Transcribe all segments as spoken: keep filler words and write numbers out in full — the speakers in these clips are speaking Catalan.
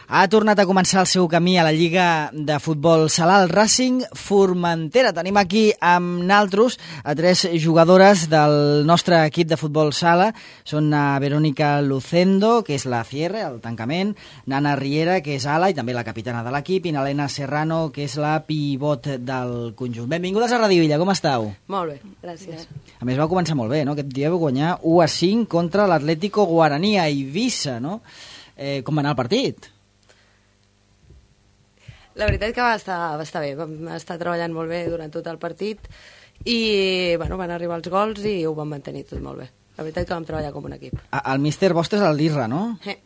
Ha tornat a començar el seu camí a la Lliga de Futbol Sala, el Racing Formentera. Tenim aquí amb naltros a tres jugadores del nostre equip de Futbol Sala. Són a Verónica Lucendo, que és la cierre, el tancament, Nana Riera, que és ala i també la capitana de l'equip, i Nalena Serrano, que és la pivot del conjunt. Benvingudes a Radio Illa, com estàu? Molt bé, gràcies. A més, va començar molt bé, no? Aquest dia vau guanyar u a cinc contra l'Atlético Guaraní a Eivissa, no? Eh, com va anar el partit? La veritat que va estar, va estar bé, vam estar treballant molt bé durant tot el partit i bueno, van arribar els gols i ho vam mantenir tot molt bé. La veritat que vam treballar com un equip. El míster vostre és el Lirra, no? Eh.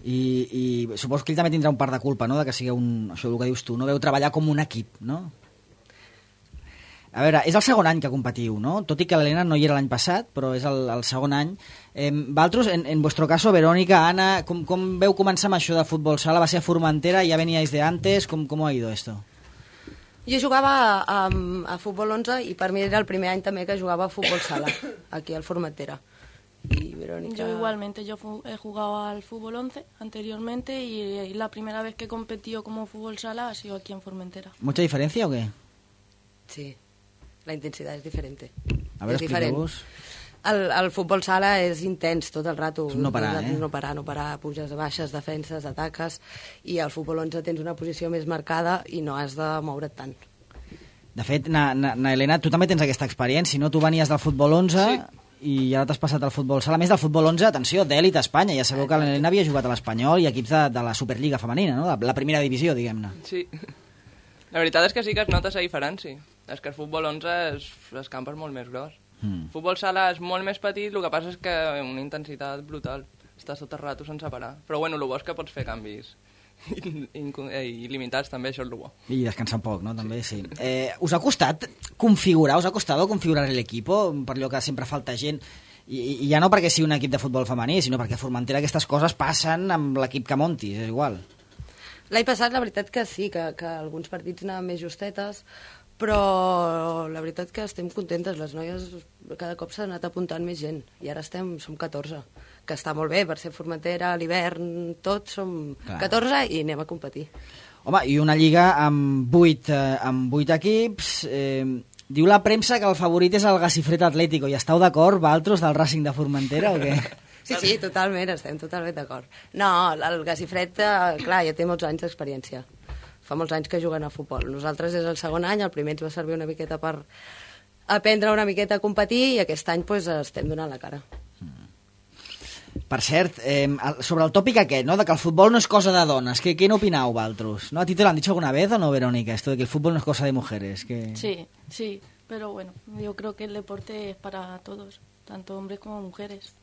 I, i suposo que ell també tindrà un part de culpa, no?, de que sigueu un, això el que dius tu, no veu treballar com un equip, no? A veure, és el segon any que competiu, no? Tot i que l'Helena no hi era l'any passat, però és el, el segon any. Eh, Valtros, en, en vuestro caso, Verónica, Ana, com, com veu començar amb això de futbol sala? Va ser a Formentera, ja veníais de antes, com, com ha ido esto? Jo jugava a, a, a futbol onze i per mi era el primer any també que jugava a futbol sala, aquí al Formentera. Y Verónica... Yo igualmente, yo he jugado al fútbol once anteriormente y la primera vez que competió como fútbol sala ha sido aquí en Formentera. ¿Mucha diferencia o qué? Sí. La intensitat és diferent. A veure, expliqueu-vos. El, el futbol sala és intens tot el rato. No parar, eh? No parar, no parar, puges, baixes, defenses, ataques, i al futbol onze tens una posició més marcada i no has de moure't tant. De fet, na, na, na Helena, tu també tens aquesta experiència, no? Tu venies del futbol onze... Sí. I ara t'has passat al futbol sala. A més del futbol onze, atenció, d'èlit a Espanya. Ja sabeu que l'Helena havia jugat a l'Espanyol i equips de, de la Superliga femenina, no? La primera divisió, diguem-ne. Sí. La veritat és que sí que es nota la diferència. És que el futbol onze és, el camp és molt més gros. Mm. El futbol sala és molt més petit, el que passa és que una intensitat brutal. Estàs tot el rato sense parar. Però bueno, el bo és que pots fer canvis il·limitats, també, això és el bo. I descansar un poc, no? També, sí. Eh, us ha costat configurar, us ha costat configurar l'equip per allò que sempre falta gent? I, i ja no perquè sigui un equip de futbol femení, sinó perquè a Formentera aquestes coses passen amb l'equip que montis, és igual. L'any passat, la veritat que sí, que, que alguns partits anaven més justetes, però la veritat que estem contentes. Les noies cada cop s'ha anat apuntant més gent, i ara estem, som catorze, que està molt bé per ser Formentera, a l'hivern, tots som Clar. catorze i anem a competir. Home, i una lliga amb vuit, eh, amb vuit equips... Eh, diu la premsa que el favorit és el Gacifret Atlético, i esteu d'acord, Valtros, del Racing de Formentera, o què? Sí, sí, totalment, estem totalment d'acord. No, el Gacifret, eh, clar, ja té molts anys d'experiència. Fa molts anys que juguen a futbol. Nosaltres és el segon any, el primer ens va servir una miqueta per aprendre una miqueta a competir, i aquest any pues, estem donant la cara. Per cert, eh, sobre el tòpic aquest, ¿no?, de que el futbol no és cosa de dones, ¿qué, qué no opinau, Valtros? ¿No? ¿A ti te lo han dicho alguna vez o no, Verónica, esto de que el fútbol no es cosa de mujeres? Que... Sí, sí, pero bueno, yo creo que el deporte es para todos, tanto hombres como mujeres.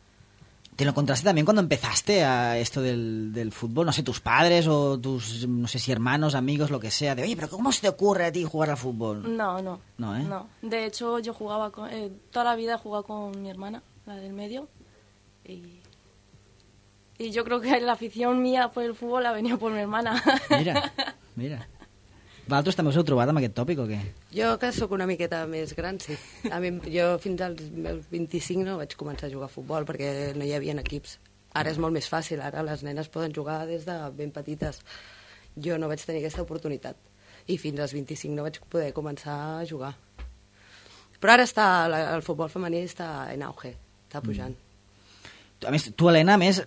¿Te lo encontraste también cuando empezaste a esto del, del fútbol? No sé, tus padres o tus, no sé si hermanos, amigos, lo que sea, de, oye, pero ¿cómo se te ocurre a ti jugar al fútbol? No, no. No, ¿eh? No. De hecho, yo jugaba, con, eh, toda la vida he jugado con mi hermana, la del medio, y... Y yo creo que la afición mía por el fútbol ha venido por mi hermana. Mira, mira. Vosaltres també us heu trobat amb aquest tòpic o què? Jo, que sóc una miqueta més gran, sí. A mi, jo fins als meus vint-i-cinc no vaig començar a jugar a futbol perquè no hi havia equips. Ara és molt més fàcil, ara les nenes poden jugar des de ben petites. Jo no vaig tenir aquesta oportunitat. I fins als vint-i-cinc no vaig poder començar a jugar. Però ara està, el futbol femení està en auge, està pujant. Mm. A més, tu, Helena, a més,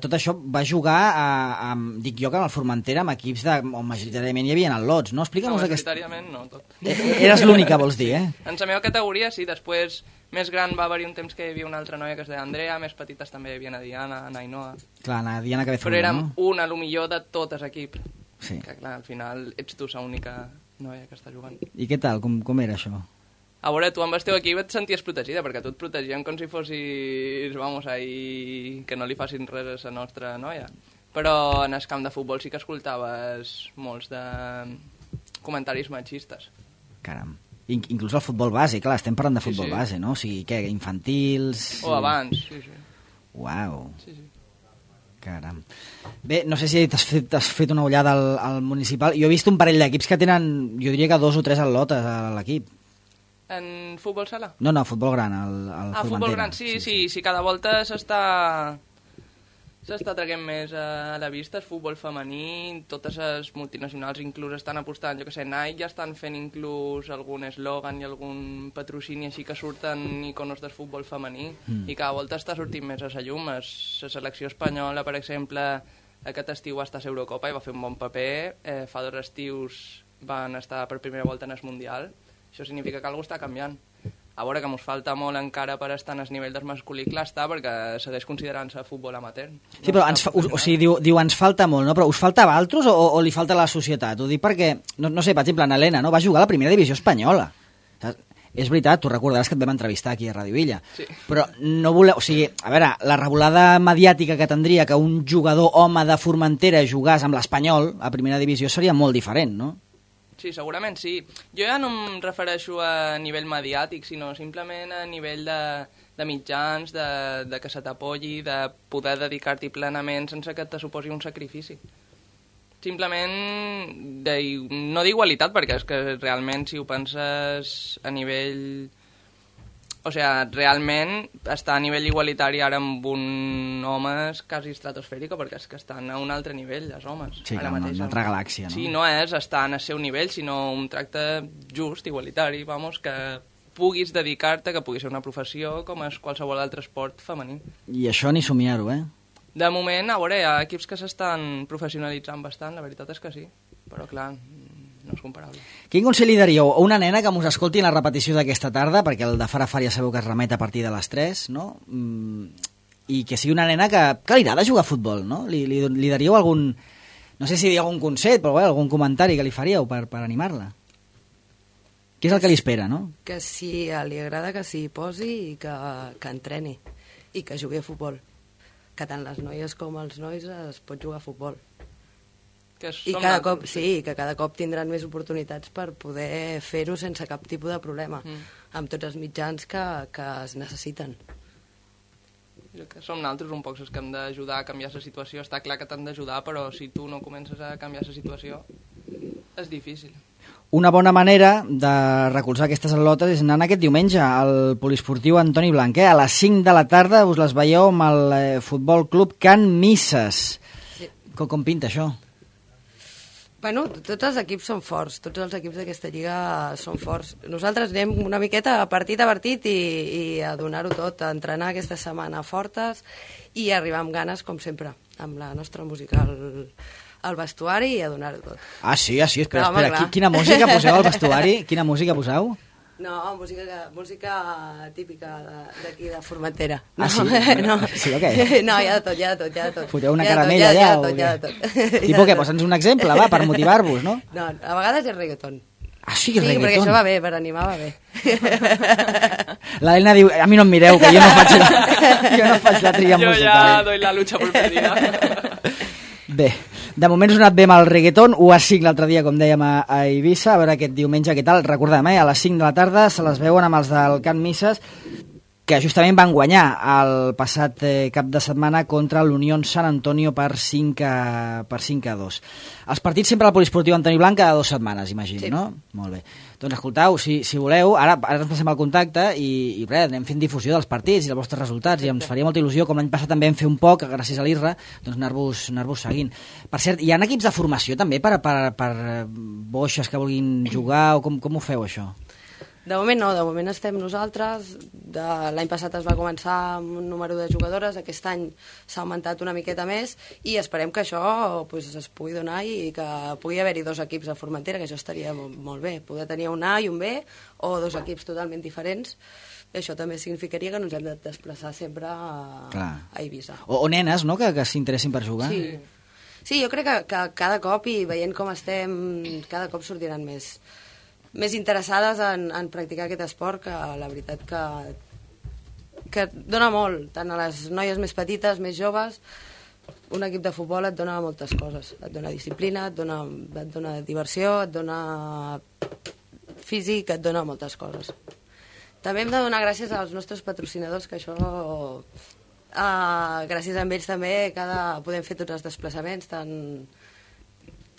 tot això va jugar a, a, dic jo, que en el Formentera amb equips de, on majoritàriament hi havia al·lots, no? Explica'm-nos no, aquest... majoritàriament no, tot. Eres l'única, vols dir, eh? En la meva categoria, sí, després, més gran va haver-hi un temps que hi havia una altra noia que es deia Andrea, més petites també hi havia na Diana, na Ainhoa... Clar, na Diana Cabezón, però érem no? una, a lo millor, de tot el equip. Sí. Que, clar, al final ets tu l'única noia que està jugant. I què tal? Com, com era això? A veure, tu amb el teu equip et senties protegida, perquè tu et protegien com si fossis, vamos, ahí, que no li facin res a la nostra noia. Però en el camp de futbol sí que escoltaves molts de comentaris machistes. Caram. In inclús el futbol base, clar, estem parlant de futbol sí, sí. base, no? O sigui, què, infantils... O abans, sí, sí. Uau. Sí, sí. Caram. Bé, no sé si t'has fet, has fet una ullada al, al municipal. Jo he vist un parell d'equips que tenen, jo diria que dos o tres al·lotes a l'equip. En futbol sala? No, no, futbol gran, al, al Ah, Formentera. futbol gran, sí, sí, sí, sí, cada volta s'està s'està traient més a la vista el futbol femení, totes les multinacionals inclús estan apostant, jo que sé, Nike ja estan fent inclús algun eslògan i algun patrocini així que surten iconos del futbol femení mm. i cada volta està sortint més a la llum. La selecció espanyola, per exemple, aquest estiu va estar a l'Eurocopa i va fer un bon paper, eh, fa dos estius van estar per primera volta en el Mundial, això significa que alguna cosa està canviant. A veure, que ens falta molt encara per estar en el nivell del masculí, clar està, perquè segueix considerant-se futbol amateur. Sí, però ens fa, o, o sigui, diu, diu ens falta molt, no? Però us falta a Valtros o, o li falta a la societat? Ho dic perquè, no, no sé, per exemple, en Helena, no? Va jugar a la primera divisió espanyola. És veritat, tu recordaràs que et vam entrevistar aquí a Ràdio Illa. Sí. Però no voleu... O sigui, a veure, la revolada mediàtica que tindria que un jugador home de Formentera jugàs amb l'Espanyol a primera divisió seria molt diferent, no? Sí, segurament sí. Jo ja no em refereixo a nivell mediàtic, sinó simplement a nivell de, de mitjans, de, de que se t'apoyi, de poder dedicar-t'hi plenament sense que te suposi un sacrifici. Simplement, de, no d'igualitat, perquè és que realment si ho penses a nivell... O sigui, realment està a nivell igualitari ara amb un home quasi estratosfèric, perquè és que estan a un altre nivell, els homes. Sí, ara mateix, una altra galàxia, no? Sí, no és estar en el seu nivell, sinó un tracte just, igualitari, vamos, que puguis dedicar-te, que pugui ser una professió com és qualsevol altre esport femení. I això ni somiar-ho, eh? De moment, a veure, hi ha equips que s'estan professionalitzant bastant, la veritat és que sí, però clar... no és comparable. Quin consell li daríeu a una nena que mos escolti en la repetició d'aquesta tarda, perquè el de far a far ja sabeu que es remet a partir de les tres, no? Mm, i que sigui una nena que, que li agrada jugar a futbol, no? Li, li, li daríeu algun, no sé si algun consell, però bé, algun comentari que li faríeu per, per animar-la? Què és el que li espera, no? Que si li agrada que s'hi posi i que, que entreni i que jugui a futbol. Que tant les noies com els nois es pot jugar a futbol. Que I cada cop, sí, que cada cop tindran més oportunitats per poder fer-ho sense cap tipus de problema, mm. amb tots els mitjans que, que es necessiten. Que som nosaltres un poc els que hem d'ajudar a canviar la situació. Està clar que t'han d'ajudar, però si tu no comences a canviar la situació, és difícil. Una bona manera de recolzar aquestes al·lotes és anant aquest diumenge al poliesportiu Antoni Blanc. Eh? A les cinc de la tarda us les veieu amb el eh, Futbol Club Can Misses. Sí. Com, com pinta això? Bueno, tots els equips són forts, tots els equips d'aquesta lliga són forts. Nosaltres anem una miqueta a partit a partit i, i a donar-ho tot, a entrenar aquesta setmana fortes i arribar amb ganes, com sempre, amb la nostra música al, al vestuari i a donar-ho tot. Ah, sí, ah, sí, espera, no, espera, home, quina música poseu al vestuari? Quina música poseu? No, música, música típica d'aquí, de, de Formentera. No, ah, sí? No. Sí, o què? No, hi ha de tot, hi ha de tot, hi ha de tot. Foteu una caramella allà? Hi ha de tot, hi ha de tot. Tipo què? Posa'ns un exemple, va, per motivar-vos, no? No, a vegades és reggaeton. Ah, sí, reggaeton? Sí, perquè això va bé, per animar va bé. L'Helena diu, a mi no em mireu, que jo no faig la, jo no faig la tria jo musical. Jo ja doy la lucha por perdida. Bé, de moment us ha anat bé amb el reggaeton, u a cinc l'altre dia, com dèiem, a, a Eivissa, a veure aquest diumenge què tal. Recordem, eh, a les cinc de la tarda se les veuen amb els del Can Misses, que justament van guanyar el passat eh, cap de setmana contra l'Unión San Antonio per cinc a dos. Els partits sempre al poliesportiu Antoni Blanc cada dues setmanes, imagino, sí. No? Molt bé. Doncs escoltau, si, si voleu, ara, ara ens passem al contacte i, i res, anem fent difusió dels partits i dels vostres resultats, i ens faria molta il·lusió, com l'any passat també vam fer un poc, gràcies a l'I R R A, doncs anar-vos anar-vos seguint. Per cert, hi ha equips de formació també per, per, per boixes que vulguin jugar, o com, com ho feu, això? De moment no, de moment estem nosaltres. L'any passat es va començar amb un número de jugadores, aquest any s'ha augmentat una miqueta més i esperem que això pues, es pugui donar i que pugui haver-hi dos equips a Formentera, que això estaria molt bé, poder tenir un A i un B o dos equips totalment diferents. Això també significaria que no ens hem de desplaçar sempre a, a Eivissa. O, o nenes, no?, que, que s'interessin per jugar. Sí. Sí, jo crec que, que cada cop, i veient com estem, cada cop sortiran més... més interessades en, en practicar aquest esport, que la veritat que, que dona molt, tant a les noies més petites, més joves. Un equip de futbol et dona moltes coses, et dona disciplina, et dona, et dona diversió, et dona físic, et dona moltes coses. També hem de donar gràcies als nostres patrocinadors, que això, eh, gràcies a ells també, cada, podem fer tots els desplaçaments, tant,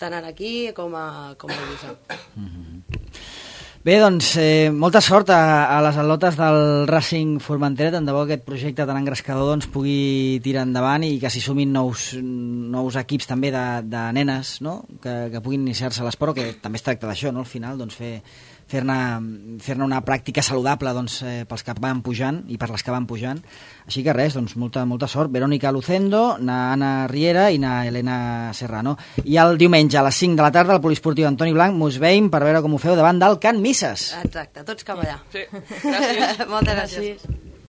tant aquí com a, com a Eivissa. Mm-hmm. Bé, doncs, eh, molta sort a, a les al·lotes del Racing Formentera. Tant de bo aquest projecte tan engrescador doncs, pugui tirar endavant i que s'hi sumin nous, nous equips també de, de nenes, no? que, que puguin iniciar-se a l'esport, que també es tracta d'això, no? Al final, doncs, fer fer-ne fer una pràctica saludable doncs, eh, pels que van pujant i per les que van pujant. Així que res, doncs, molta, molta sort. Verónica Lucendo, na Anna Riera i na Helena Serrano. I el diumenge a les cinc de la tarda al Poliesportiu Antoni Blanc mos veiem per veure com ho feu davant del Can Misses. Exacte, tots cap allà. Sí, gràcies. Moltes gràcies.